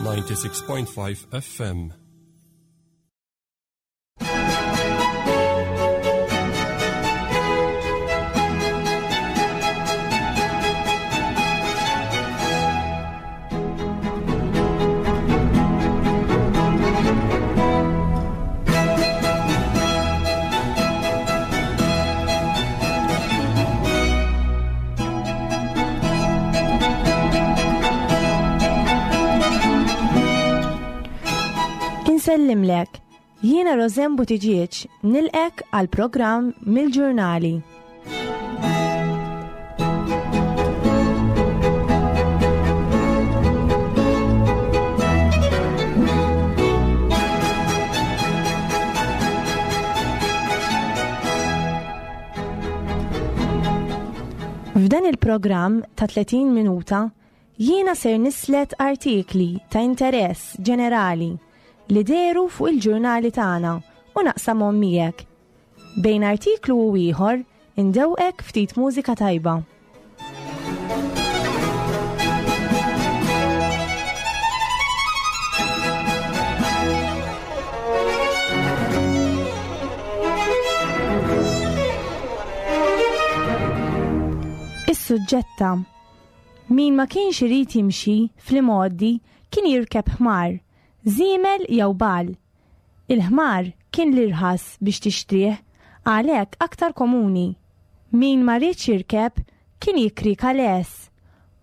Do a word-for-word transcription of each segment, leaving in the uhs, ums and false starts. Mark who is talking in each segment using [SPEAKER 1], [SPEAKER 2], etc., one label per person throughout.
[SPEAKER 1] ninety-six point five F M.
[SPEAKER 2] Insellimlek, jiena Rosanne Buttigieg nilqek għal programm mill-ġurnali. F'dan il-programm ta' tletin minuta jiena ser nislet artikli ta' interess ġenerali li dehru fuq il-ġurnali tagħna u naqsamhom miegħek. Bejn artiklu u ieħor indewqek ftit mużika tajba. Is-suġġetta. Min ma kienx irid jimxi fl-imgħoddi kien jirkeb ħmar, żiemel jew bal. Il-ħmar kien l-irħas biex tixtrih, għalhekk aktar komuni. Min ma riedx jirkeb kien jikri kales,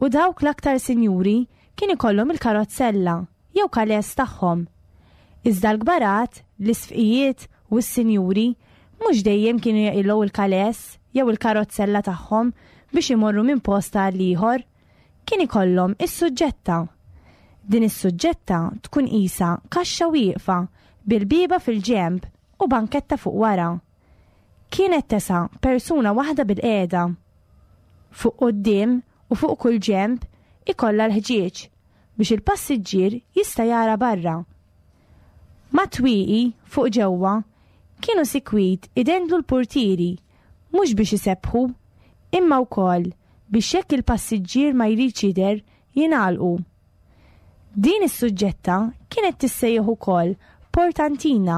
[SPEAKER 2] u dawk l-aktar sinjuri kien ikollhom il-karozzella jew kales tagħhom. Iżda l-kbarat, l-isfqijiet u s-sinjuri mhux dejjem kienu jaqilgħu il-kales jew il-karozzella tagħhom biex imorru minn post għal ieħor, kien ikollhom is-suġġetta. Din is-suġġetta tkun qisha kaxxa wieqfa bil-bieba fil-ġemb u banketta fuq wara. Kienet tesa' persuna waħda bil-qiegħda. Fuq quddiem u fuq kull ġemb ikollha l-ħġieġ biex il-passiġġier jista' jara barra. Mat-twieqi fuq ġewwa kienu sikwit idendlu l-portieri mhux biex isebbħu, imma wkoll biex jekk il-passiġġier ma jridx jidher jingħalqu. Din is-suġġetta kienet tissejjaħ ukoll portantina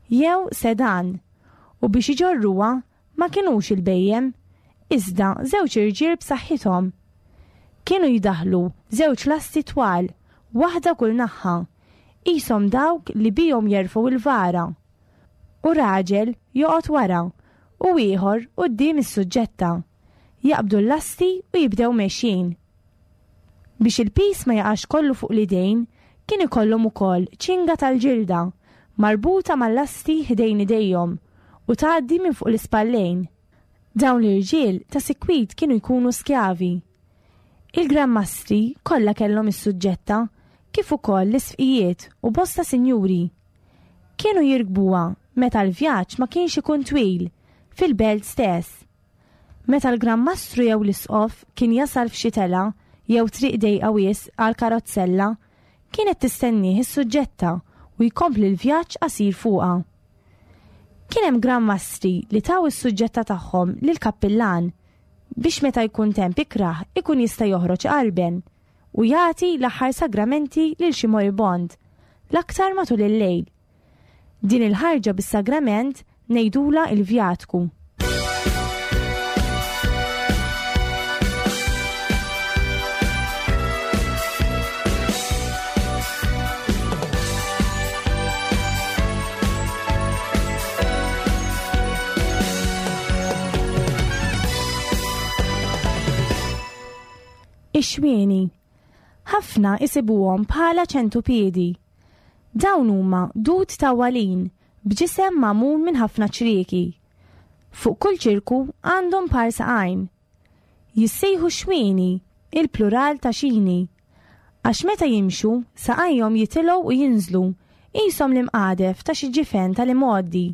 [SPEAKER 2] jew sedan u biex iġorruha ma kinux il-bejjem, iżda żewġ irġiel b'saħħithom. Kienu jdaħlu żewġ lasti twal, waħda kull naħa, qishom dawk li bihom jerfgħu il-vara. U raġel joqgħod wara u ieħor quddiem is-suġġetta. Jaqbdu l-lasti u jibdew mexjin. Biex il-pis ma jaqax kollu fuq l-idejn, kien ikollhom ukoll ċinga tal-ġilda marbuta mal-lasti ħdejn idejhom u tgħaddi minn fuq l-ispallejn. Dawn l-irġiel ta' sikwit kienu jkunu skjavi. Il-Gran Mastri kollha kellhom is-suġġetta kif ukoll l-isfqijiet u bosta sinjuri. Kienu jirkbuha meta l-vjaġġ ma kienx ikun twil fil-belt stess. Meta l-Gran Mastru jew l-isqof kien jasal f'xi tela jew triq dejqa wisq għal karozzella, kienet tistennieh is-suġġetta u jkompli l-vjaġġ qasir fuqha. Kien hemm Gran Mastri li taw is-suġġetta tagħhom lil kappillan biex meta jkun temp ikrah ikun jista' joħroġ qarben u jagħti l-aħħar sagramenti lil xi moribond, l-aktar matul il-lejl. Din il-ħarġa bis-sagrament ngħidulha il-vjatku. Ix-xwieni. Ħafna isibuhom bħala ċentupiedi. Dawn huma dud tawwalin b'ġisem magħmul minn ħafna ċrieki. Fuq kull ċirku għandhom par saqajn. Jissejħu xwieni, il-plural ta' xini. Għax meta jimxu, saqajhom jitilgħu u jinżlu, qishom l-imqadef ta' xi ġifen tal-imgħoddi.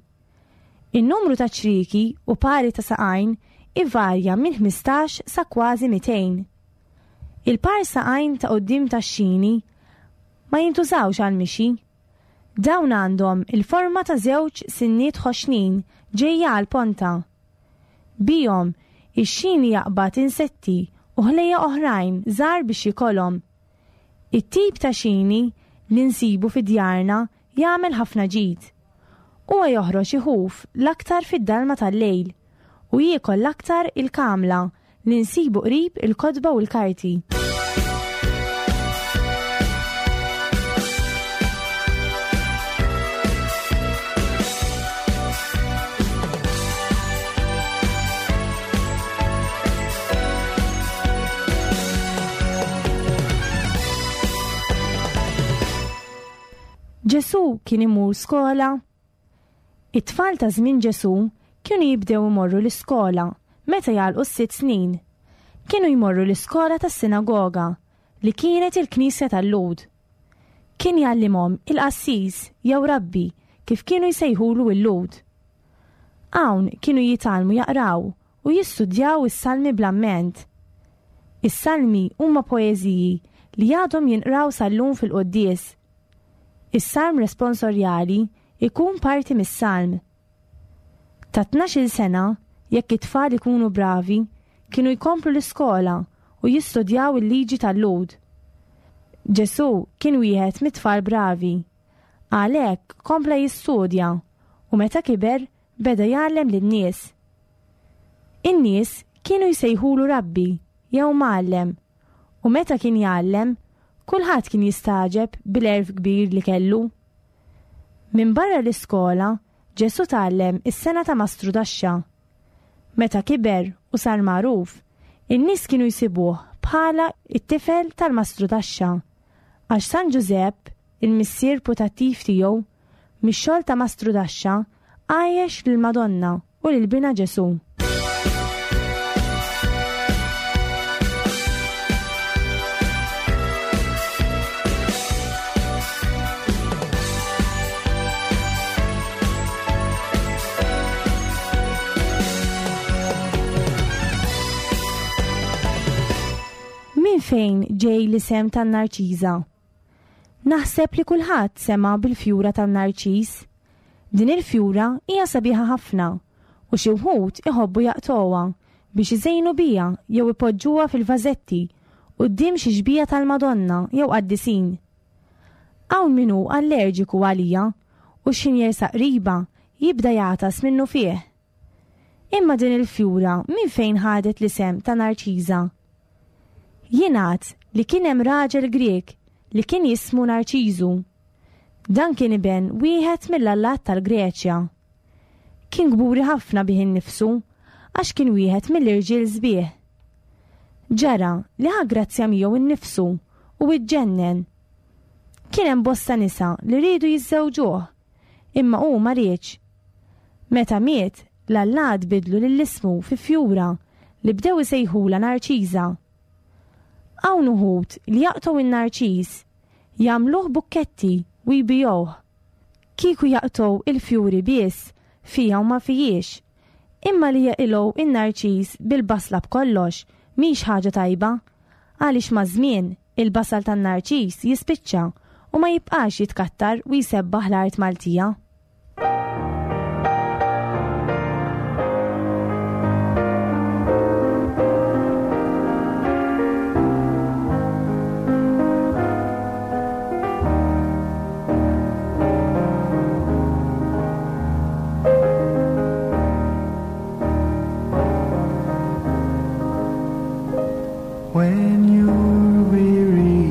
[SPEAKER 2] In-numru ta' ċrieki u pari ta' saqajn ivarja minn ħmistax sa kważi mitejn. Il-par saqajn ta' quddiem tax-xini ma jintużawx għal mixi. Dawn għandhom il-forma ta' żewġ sinniet ħoxnin ġejja għal ponta. Bihom ix-xini jaqbad insetti u ħlejja oħrajn żgħar biex jikolhom. It-tip ta' xini li nsibu fi djarna jagħmel ħafna ġid. Huwa joħroġ iħuf l-aktar fid-dalma tal-lejl u jiekol l-aktar il-kamla li nsibu qrib il-kotba u l-karti. Ġesù kien imur skola. It-tfal ta' żmien Ġesù kienu jibdew imorru l-iskola meta jagħlqu s-sitt snin. Kienu jmorru l-iskola tas-sinagoga li kienet il-knisja tal-Lhud. Kien jgħallimhom il-qassis jew rabbi kif kienu jsejħulu l-Lhud. Hawn kienu jitgħallmu jaqraw u jistudjaw is-salmi bl-amment. Is-salmi huma poeżiji li għadhom jinqraw sal-lum fil-quddies. Is-salm responsorjali ikun parti mis-salm. Ta' tnax-il sena, jekk it-tfal ikunu bravi, kienu jkomplu l-iskola u jistudjaw il-liġi tal-Lhud. Ġesù kien wieħed mit-tfal bravi. Għalhekk kompla jistudja u meta kiber beda jgħallem lin-nies. In-nies kienu jsejħulu rabbi jew mgħallem, u meta kien jgħallem, kulħadd kien jistagħġeb bil-għerf kbir li kellu. Minn barra l-iskola, Ġesù tgħallem is-sena ta' mastrudaxxa. Meta kiber u sar magħruf, in-nies kienu jsibuh bħala it-tifel tal-mastrudaxxa, għax San Ġużepp, il-missier putattiv tiegħu, mix-xogħol ta' mastrudaxxa għajjex lill-Madonna u lil binha Ġesù. Min fejn ġej l-isem tan-Narċiża? Naħseb li kulħadd sema' bil-fjura tan-Narċiż. Din il-fjura hija sabiħa ħafna u xi wħud iħobbu jaqtgħuha biex iżejnu biha jew ipoġġuha fil-vażetti quddiem xi xbieha tal-Madonna jew qaddisin. Hawn min hu allerġiku għalija u x'ħin jersaq qriba jibda jagħtas minnu fih. Imma din il-fjura minn fejn ħadet l-isem ta' Narċiża? Jingħad li kien hemm raġel Grek li kien jismu Narċiżu. Dan kien iben wieħed mill-allat tal-Greċja. Kien kburi ħafna bih innifsu għax kien wieħed mill-irġiel sbieħ. Ġara li ħa grazzja miegħu innifsu u iġġennen. Kien hemm bosta nisa li riedu jiżżewġuh, imma hu ma riedx. Meta miet, l-allat bidlu lil ismu fi fjura li bdew isejħulha Narċiża. Hawn uħud li jaqtgħu in-narċiż, jagħmluh bukketti u jbigħuh. Kieku jaqtgħu il-fjuri biss, fija u ma fijiex. Imma li jaqilgħu in-narċiż bil-basla b'kollox mhix ħaġa tajba, għaliex maż-żmien il-basal tan-narċiż jispiċċa u ma jibqax jitkattar u jsebbaħ l-art Maltija.
[SPEAKER 3] When you're weary,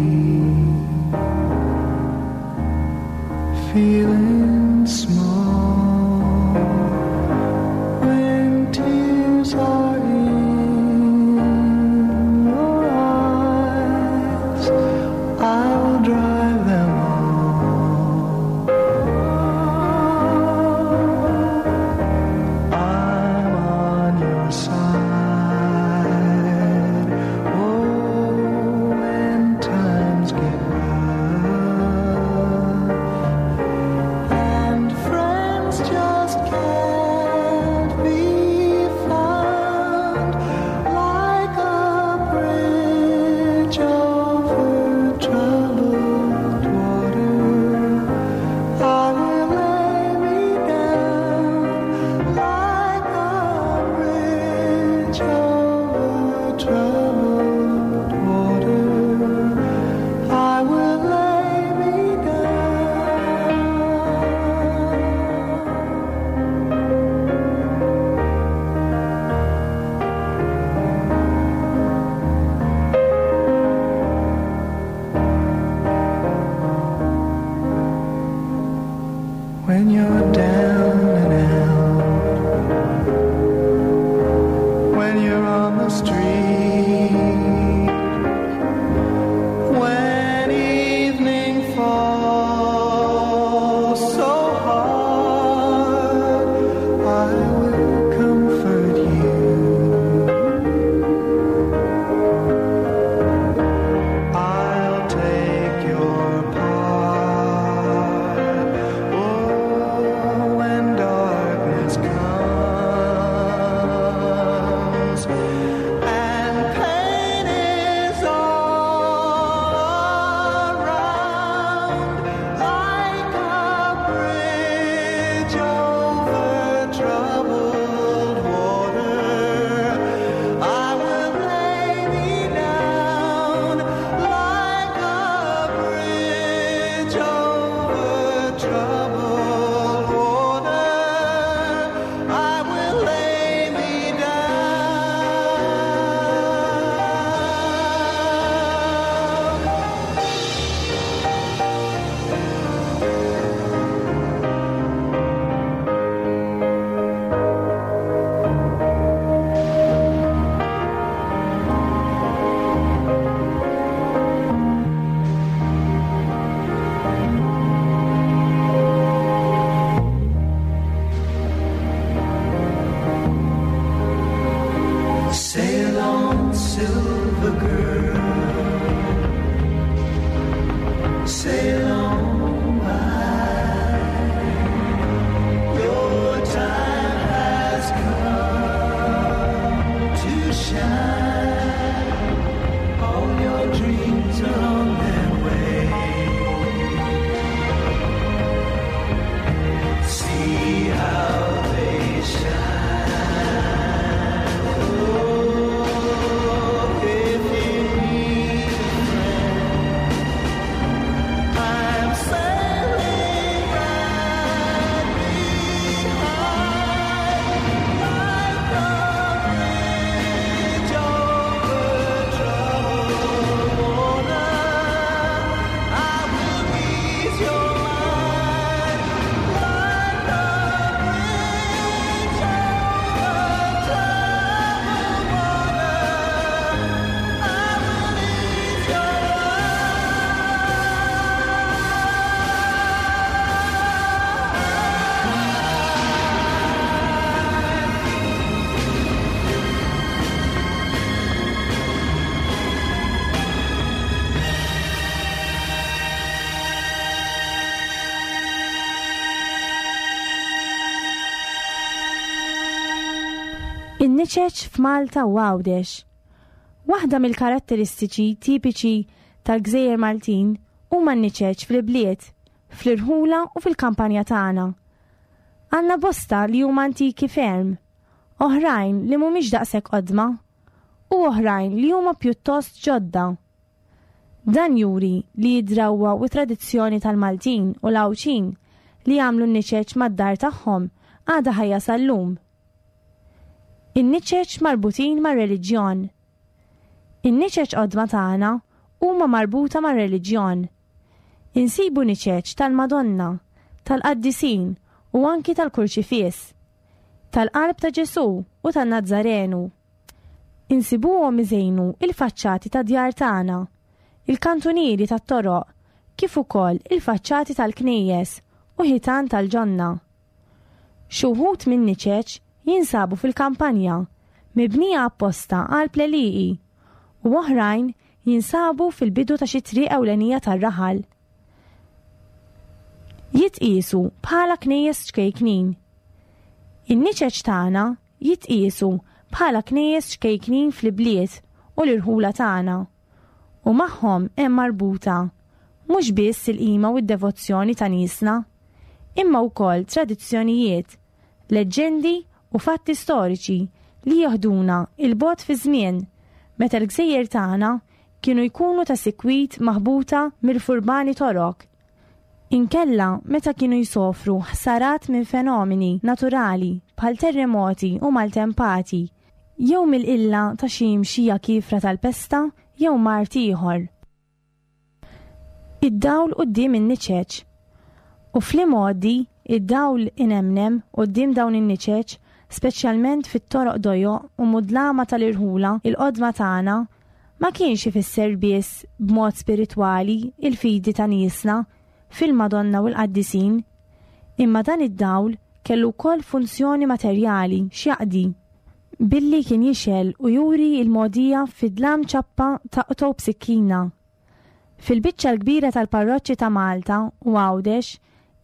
[SPEAKER 3] feeling small, when tears are in your eyes, I will dry them all. I'm on your side. Oh, when times get rough and friends just can't be found, like a bridge over troubled Sail on by. Your time has come to shine. All your dreams are on their way. See how they shine. Oh, if you need a friend, I'm sailing right behind, like a bridge over troubled water. I will ease your mind, like a bridge over troubled water. I will ease your
[SPEAKER 2] In-niċeċ f'Malta u Għawdex. Waħda mill-karatteristiċi tipiċi tal-Gżejjer Maltin huma n-niċeċ fl-ibliet, fl-irħula u fil-kampanja tagħna. Għandna bosta li huma antiki ferm, oħrajn li mhumiex daqshekk qodma, u oħrajn li huma pjuttost ġodda. Dan juri li d-drawwa u tradizzjoni tal-Maltin u l-Għawdxin li jagħmlu n-niċeċ mad-dar tagħhom għadha ħajja sal-lum. In-niċeċ marbutin mar-reliġjon. In-niċeċ qodma tagħna huma marbuta mar-reliġjon. Insibu niċeċ tal-Madonna, tal-Qaddisin u anki tal-Kurċifiss, tal-Qalb ta' Ġesu u tan-Nazzarenu. Insibuhom iżejnu il-faċċati ta' djar tagħna, il-kantunieri tat-toroq, kif ukoll il-faċċati tal-knejjes u ħitan tal-ġonna. Xi wħud minn niċeċ jinsabu fil-kampanja, mibnija apposta għal pleliqi, u oħrajn jinsabu fil-bidu ta' xi triq ewlenija tar-raħal. Jitqiesu bħala knejjes ċkejknin. In-niċeċ tagħna jitqiesu bħala knejjes ċkejknin fl-ibliet u l-irħula tagħna, u magħhom hemm marbuta mhux biss il-qima u d-devozzjoni ta' niesna, imma wkoll tradizzjonijiet, leġġendi u fatti storiċi li jaħduna il-bogħod fi żmien meta l-gżejjer tagħna kienu jkunu ta' sikwit maħbuta mill-furbani torok. Inkella meta kienu jsofru ħsarat minn fenomeni naturali bħal terremoti u maltempati, jew mill-qilla ta' xi mxija kifra tal-pesta jew mard ieħor. Id-dawl quddiem in-niċeċ. U fl-imgħoddi id-dawl inemnem quddiem dawn in-niċeċ, speċjalment fit-toroq dojoq u mudlama tal-irħula il-qodma tagħna, ma kienx ifisser biss b'mod spiritwali il-fidi ta' niesna fil-Madonna u l-Qaddisin, imma dan id-dawl kellu wkoll funzjoni materjali x'jaqdi, billi kien jixgħel u juri l-mogħdija fid-dlam ċappa taqtgħu b'sikkina. Fil-biċċa l-kbira tal-parroċċi ta' Malta u Għawdex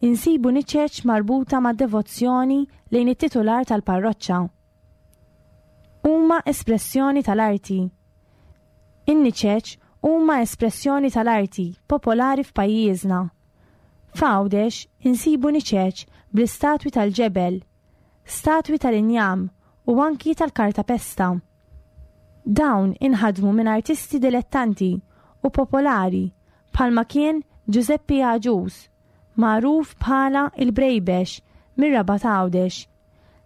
[SPEAKER 2] insibu niċeċ marbuta ma' devozzjoni lejn it-titular tal-parroċċa. Huma espressjoni tal-arti. In-niċeċ huma espressjoni tal-arti popolari f'pajjiżna. F'Għawdex insibu niċeċ bl-istatwi tal-ġebel, statwi tal-injam u anki tal-kartapesta. Dawn inħadmu minn artisti dilettanti u popolari bħalma kien Giuseppe Agius, magħruf bħala il-Brejbex mir-Rabat Għawdex,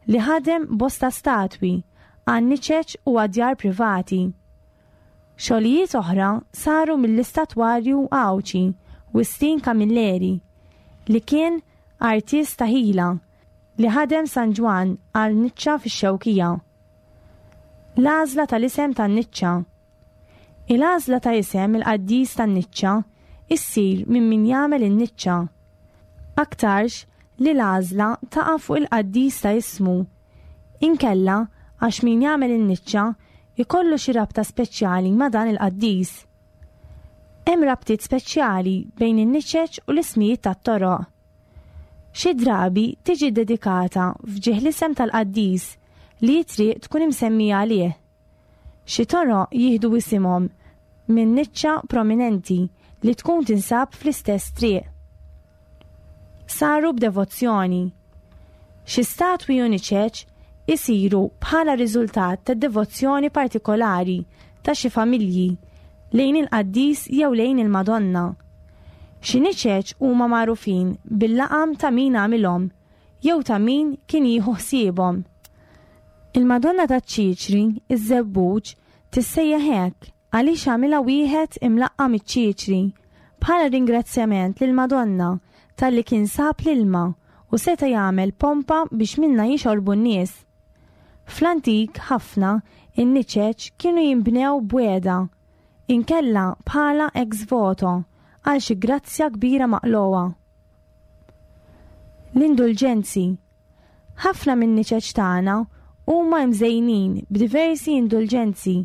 [SPEAKER 2] li ħadem bosta statwi għan niċeċ u għadjar privati. Xogħlijiet oħra saru mill-istatwarju Għawdxi Wistin Camilleri, li kien artist ta' ħila li ħadem San Ġwann għal niċċa fix-Xewkija. L-għażla tal-isem tan-niċċa. Il-għażla ta' isem il-qaddis tan-niċċa issir minn min jagħmel in-niċċa. Aktarx li l-għażla taqa' fuq il-qaddis ta' ismu. Inkella għax min jagħmel in-niċċa ikollu xi rabta speċjali ma' dan il-qaddis. Hemm rabtiet speċjali bejn in-niċeċ u l-ismijiet tat-toroq. Xi drabi tiġi dedikata f'ġieħ l-isem tal-qaddis li t-triq tkun imsemmija għalih. Xi toroq jieħdu isimhom minn niċċa prominenti li tkun tinsab fl-istess triq. Saru b'devozzjoni. Xi statwi u niċeċ isiru bħala riżultat ta' devozzjoni partikolari ta' xi familji lejn il-qaddis jew lejn il-Madonna. Xi niċeċ huma magħrufin bil-laqam ta' min għamilhom jew ta' min kien jieħu ħsiebhom. Il-Madonna taċ-Ċiċri, iż-Żebbuġ, tissejjaħ hekk għaliex għamilha wieħed imlaqqam iċ-Ċiċri bħala ringrazzjament lill-Madonna talli kien sab l-ilma u seta' jagħmel pompa biex minnha jixorbu n-nies. Fl-antik ħafna in-niċeċ kienu jinbnew b'wegħda, inkella bħala ex voto għal xi grazzja kbira maqlugħa. L-indulġenzi. Ħafna min-niċeċ tagħna huma mżejnin b'diversi indulġenzi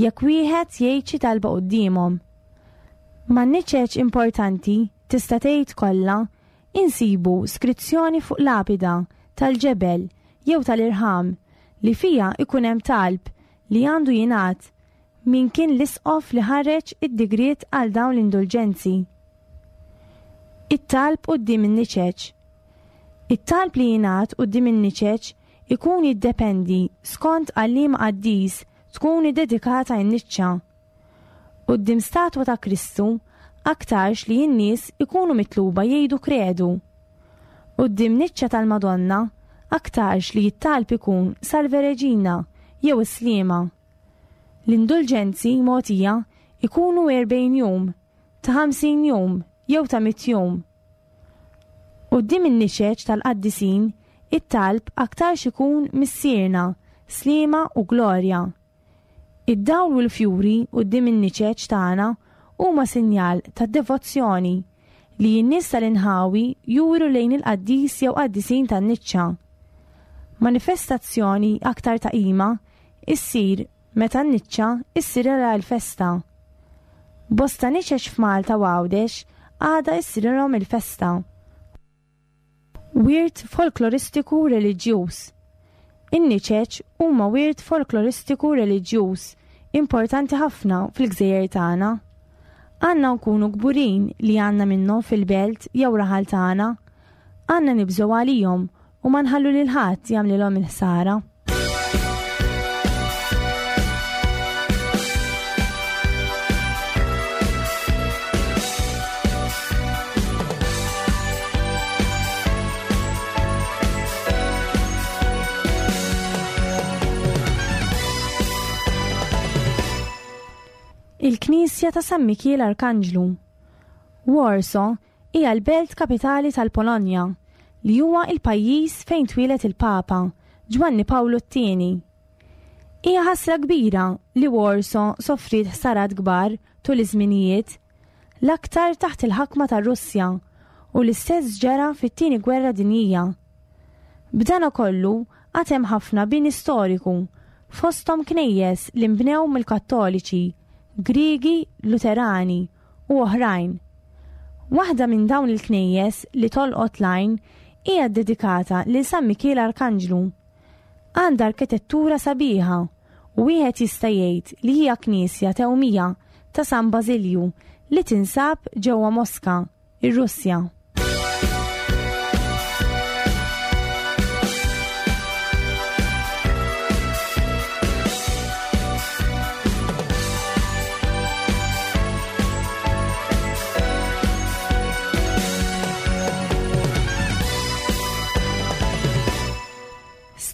[SPEAKER 2] jekk wieħed jgħid xi talba quddiemhom. Man-niċeċ importanti tista' tgħid kollha insibu skrizzjoni fuq lapida tal-ġebel jew tal-irħam li fija ikun hemm talb li għandu jingħad min kien l-isqof li ħareġ id-digriet għal dawn l-indulġenzi. It-talb quddiem in-niċeċ. It-talb li jingħad quddiem in-niċeċ ikun jiddependi skont għal liema qaddis tkun iddedikata n-niċċa. Quddiem statwa ta' Kristu aktarx li n-nies ikunu mitluba jgħidu kredu. Quddiem niċċa tal-Madonna aktarx li t-talb ikun Salve Regina jew Sliema. L-indulġenzi mogħtija ikunu erbgħin jum, ta' ħamsin jum jew ta' mitt jum. Quddiem in-niċeċ tal-qaddisin, it-talb aktarx ikun Missierna, Sliema u Glorja. Id-dawl u l-fjuri quddiem in-niċeċ tagħna huma sinjal ta' devozzjoni li n-nies tal-inħawi juru lejn il-qaddis jew qaddisin tan-niċċa. Manifestazzjoni aktar ta' qima issir meta n-niċċa issirilha l-festa. Bosta niċeċ f'Malta u Għawdex għadha issirilhom il-festa. Wirt folkloristiku reliġjuż. In-niċeċ huma wirt folkloristiku reliġjuż importanti ħafna fil-gżejjer tagħna. Għandna nkunu kburin li għandna minnhom fil-belt jew raħal tagħna. Għandna nibżgħu għalihom u ma nħallu lil ħadd jagħmlilhom il-ħsara. Il-Knisja ta' San Mikiel Arkanġlu. Warsaw hija l-belt kapitali tal-Polonja, li huwa il-pajjiż fejn twieled il-Papa Ġwanni Pawlu t-tieni. Hija ħasra kbira li Warsaw soffriet ħsarat kbar tul iż-żminijiet, l-aktar taħt il-ħakma tar-Russja u l-istess ġara fit-tieni gwerra dinjija. B'dan kollu għad hemm ħafna bini storiku fosthom knejjes li nbnew mill-Kattoliċi, Griegi, Luterani u oħrajn. Waħda minn dawn il-knejjes li tolqot l-għajn hija ddedikata lil San Mikiel Arkanġlu. Għandha arkitettura sabiħa u wieħed jista' jgħid li hija knisja tewmija ta' San Bażilju li tinsab ġewwa Moska, ir-Russja.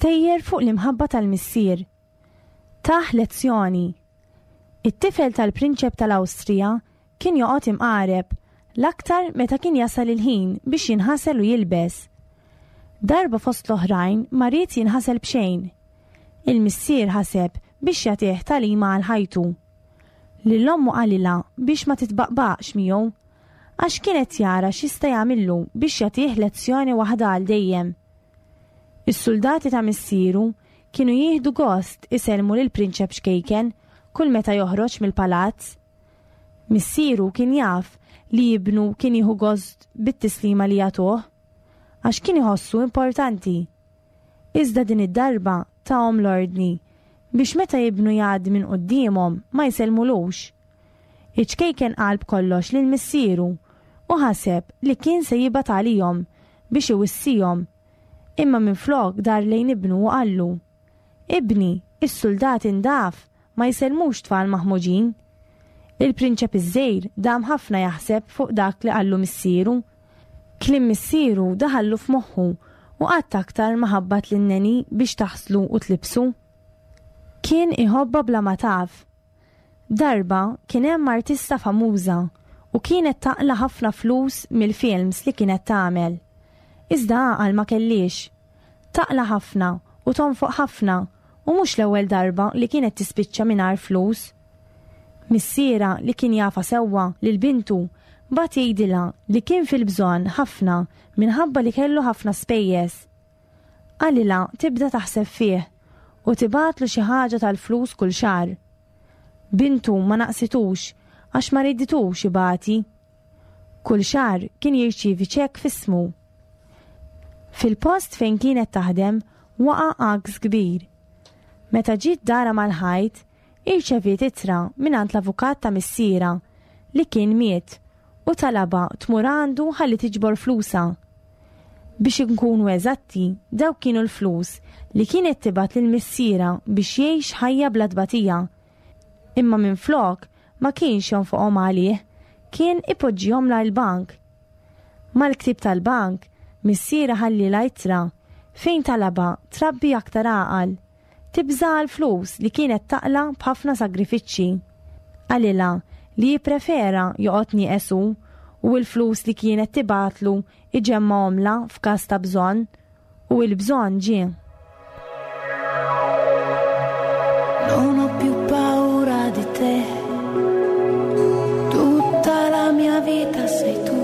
[SPEAKER 2] Stejjer fuq l-imħabba tal-missier. Taħ lezzjoni. It-tifel tal-prinċep tal-Awstrija kien joqgħod imqareb l-aktar meta kien jasal il-ħin biex jinħasel u jilbes. Darba fost l-oħrajn ma ried jinħasel b'xejn. Il-missier ħaseb biex jagħtih tagħlima għal ħajtu. Lil ommu qalilha biex ma titbaqbaqx miegħu, għax kienet jara x'jista' jagħmillu biex jagħtih lezzjoni waħda għal dejjem. Is-soldati ta' missieru kienu jieħdu gost isellmu lil prinċep xkejken kull meta joħroġ mill-palazz. Missieru kien jaf li ibnu kien jieħu gost bit-tislima li jagħtuh, għax kien iħossu importanti. Iżda din id-darba tahom l-ordni biex meta ibnu jgħaddi minn quddiemhom ma jsellmulux. Iċ-ċkejken qal b'kollox lil missieru u ħaseb li kien se jibgħat għalihom biex iwissihom. Imma minflok dar lejn ibnu u qallu: "Ibni, is-soldati ndaf ma jsellmux tfal maħmuġin." Il-prinċep iż-żgħir dam ħafna jaħseb fuq dak li qallu missieru. Kliem missieru daħallu f'moħħu u qatt aktar ma ħabbat lin-nanny biex taħslu u tlibsu. Kien iħobbha bla ma taf. Darba kien hemm artista famuża u kienet taqla ħafna flus mill-films li kienet tagħmel. Iżda għaqal ma kellix. Taqla ħafna u tonfoq ħafna u mhux l-ewwel darba li kienet tispiċċa mingħajr flus. Missierha li kien jafha sewwa lil bintu bagħat jgħidilha li kien fil-bżonn ħafna minħabba li kellu ħafna spejjeż. Qalilha tibda taħseb fih u tibgħatlu xi ħaġa tal-flus kull xahar. Bintu ma naqsitux għax ma riditux ibati. Kull xahar kien jirċievi ċekk f'ismu. Fil-post fejn kienet taħdem waqa' għaks kbir. Meta ġiet dara mal-ħajt, irċeviet ittra mingħand l-avukat ta' missierha li kien miet u talabha tmur għandu ħalli tiġbor flusha. Biex inkunu eżatti, dawk kienu l-flus li kienet tibgħat lil missierha biex jgħix ħajja bla tbatija. Imma minflok ma kienx jonfoqhom għalih, kien ipoġġihom l-bank. Mal-ktib tal-bank, missierha ħallielha ittra fejn talabha trabbi aktar għaqal, tibża' għal-flus li kienet taqla b'ħafna sagrifiċċji. Qalilha li jipprefera joqgħod nieqes hu u l-flus li kienet tibgħatlu iġemmgħomlha f'każ ta' bżonn, u l-bżonn ġie.
[SPEAKER 4] Non ho più paura di te, tutta la mia vita sei tu.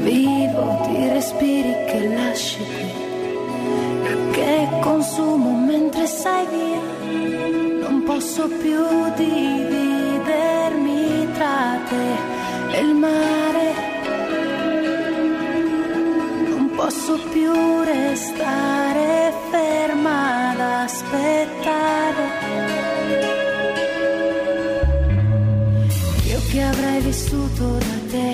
[SPEAKER 4] Vivo di respiri che lasci qui e che consumo mentre sei via. Non posso più dividermi tra te e il mare. Non posso più restare ferma ad aspettare. Io che avrei vissuto da te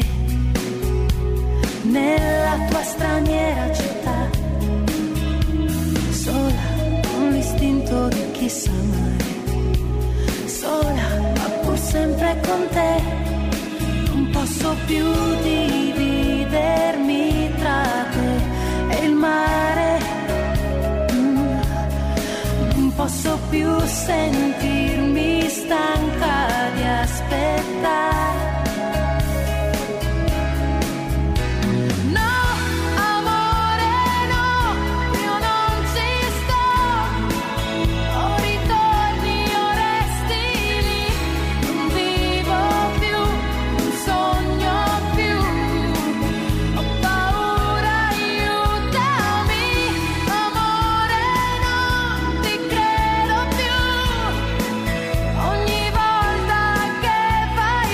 [SPEAKER 4] nella tua straniera città, sola con l'istinto di chi sa amare, sola ma pur sempre con te. Non posso più dividermi tra te e il mare. Mm. Non posso più sentirmi stanca di aspettare. No, amore, no, io non ci sto. O ritorni o resti lì. Non vivo più, non sogno più. Ho paura, aiutami. Amore, non ti credo più. Ogni volta che vai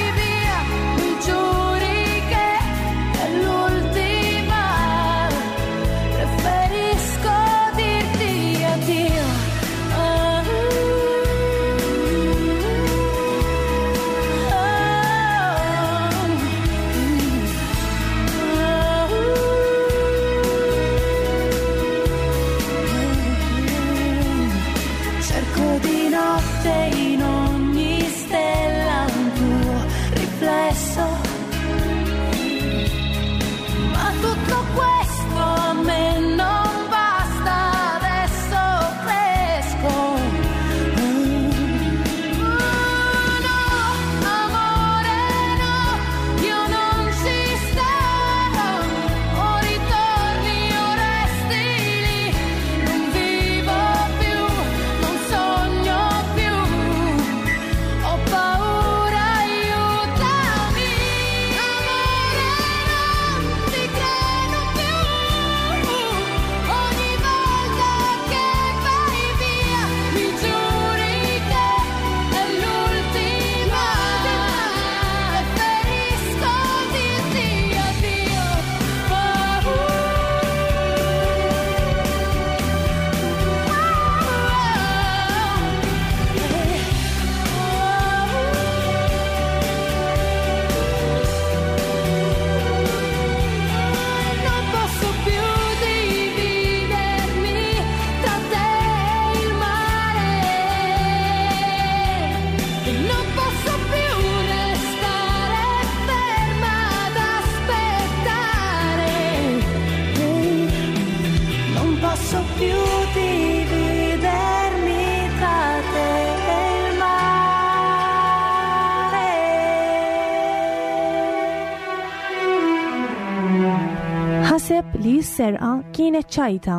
[SPEAKER 2] ħaseb li s-serqa kienet ċajta.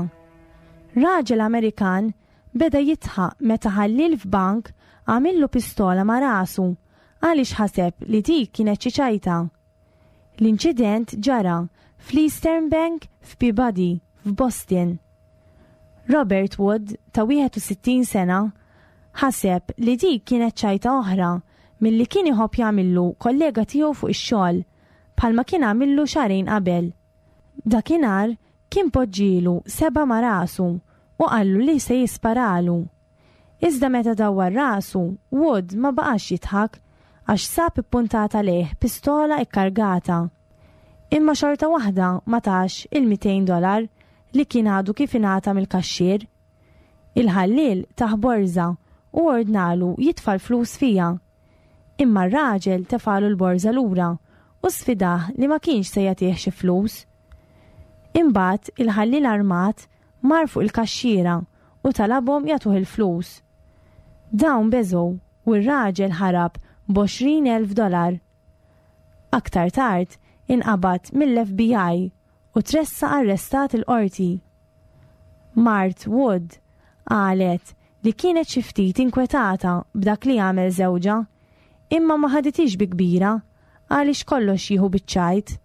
[SPEAKER 2] Raġel Amerikan beda jidħaq meta ħallil f'bank għamillu pistola ma' rasu għaliex ħaseb li dik kienet xi ċajta. L-inċident ġara fl-Eastern Bank f'Peabody f'Boston. Robert Wood ta' wieħed u sittin sena ħaseb li dik kienet ċajta oħra milli kien iħobb jagħmillu kollega tiegħu fuq ix-xogħol, bħalma kien għamillu xahrejn qabel. Dakinhar kien poġġielu sebgħa ma' rasu u qallu li se jisparalu. Iżda meta dawwar rasu, Wood ma baqax jidħak għax sab ippuntata lejh pistola ikkargata. Imma xorta waħda ma tax il-mitejn dolar li kien għadu kif ingħata mill-kaxxier. Il-ħallil tah borża u ordnalu jitfa' l-flus fiha. Imma r-raġel tefalu l-borża lura u sfidah li ma kienx se jagħtih xi flus. Imbagħad il-ħallil armat mar fuq il-kaxxiera u talabhom jagħtuh il-flus. Dawn beżgħu u r-raġel ħarab b'għoxrin elf dolar. Aktar tard inqabad mill-F B I u tressaq arrestat il-qorti. Mart Wood qalet li kienet xi ftit inkwetata b'dak li għamel żewġha, imma ma ħaditix bi kbira għaliex kollox jieħu biċ-ċajt.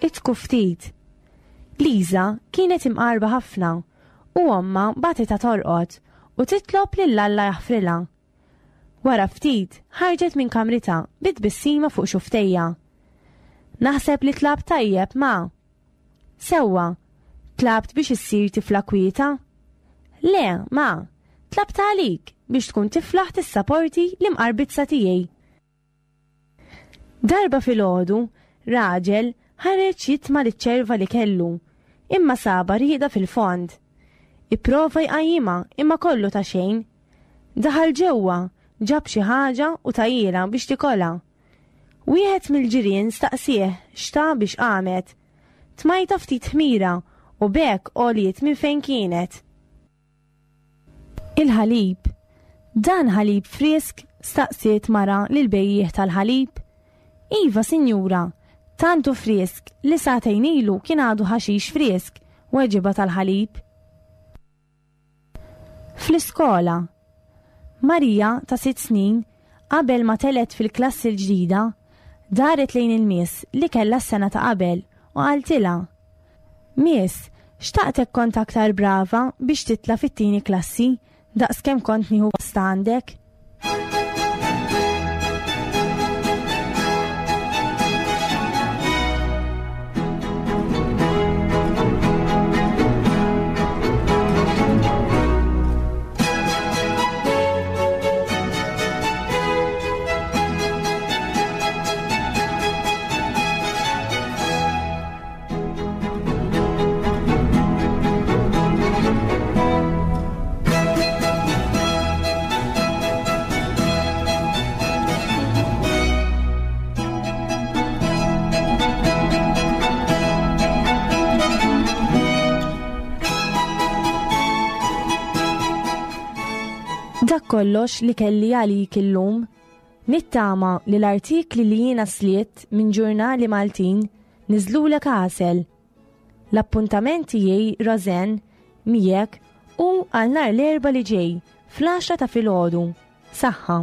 [SPEAKER 2] Idħku ftit. Liza kienet imqarba ħafna u omma bagħtitha torqod u titlob lil Alla jaħfrilha. Wara ftit ħarġet minn kamritha bi tbissima fuq xufftejha. "Naħseb li tlabt tajjeb, ma." "Sewwa, tlabt biex issir tifla kwieta?" "Le, ma, tlabt għalik biex tkun tiflaħ tissaporti l-imqarbizza tiegħi." Darba filgħodu, raġel ħareġ jitma' liċ-ċerva li kellu, imma saba rieqda fil-fond. Ipprova jqajjimha imma kollu ta' xejn. Daħal ġewwa, ġab xi ħaġa u tahielha biex tikolha. Wieħed mill-ġirien staqsieh x'ta biex qamet. "Tmajtha ftit ħmira u b'hekk għoliet minn fejn kienet." Il-ħalib. "Dan ħalib frisk?" staqsiet mara lil bejjiegħ tal-ħalib. "Iva, sinjura, tant hu frisk li sagħtejn ilu kien għadu ħaxix frisk," weġibha tal-ħalib. Fl-iskola. Marija ta' sitt snin, qabel ma telgħet fil-klassi l-ġdida, daret lejn il-miss li kella s-sena ta' qabel u qaltilha: "Miss, xtaqtek kont aktar brava biex titla' fit-tieni klassi daqs kemm kont nieħu gost għandek." Dak kollox li kelli għalik illum. Nittama li l-artikli li jiena slitt minn ġurnali Maltin niżlulek għasel. L-appuntament tiegħi, Rosanne, miegħek hu għal nhar l-Erbgħa li ġej fl-għaxra ta' filgħodu. Saħħa.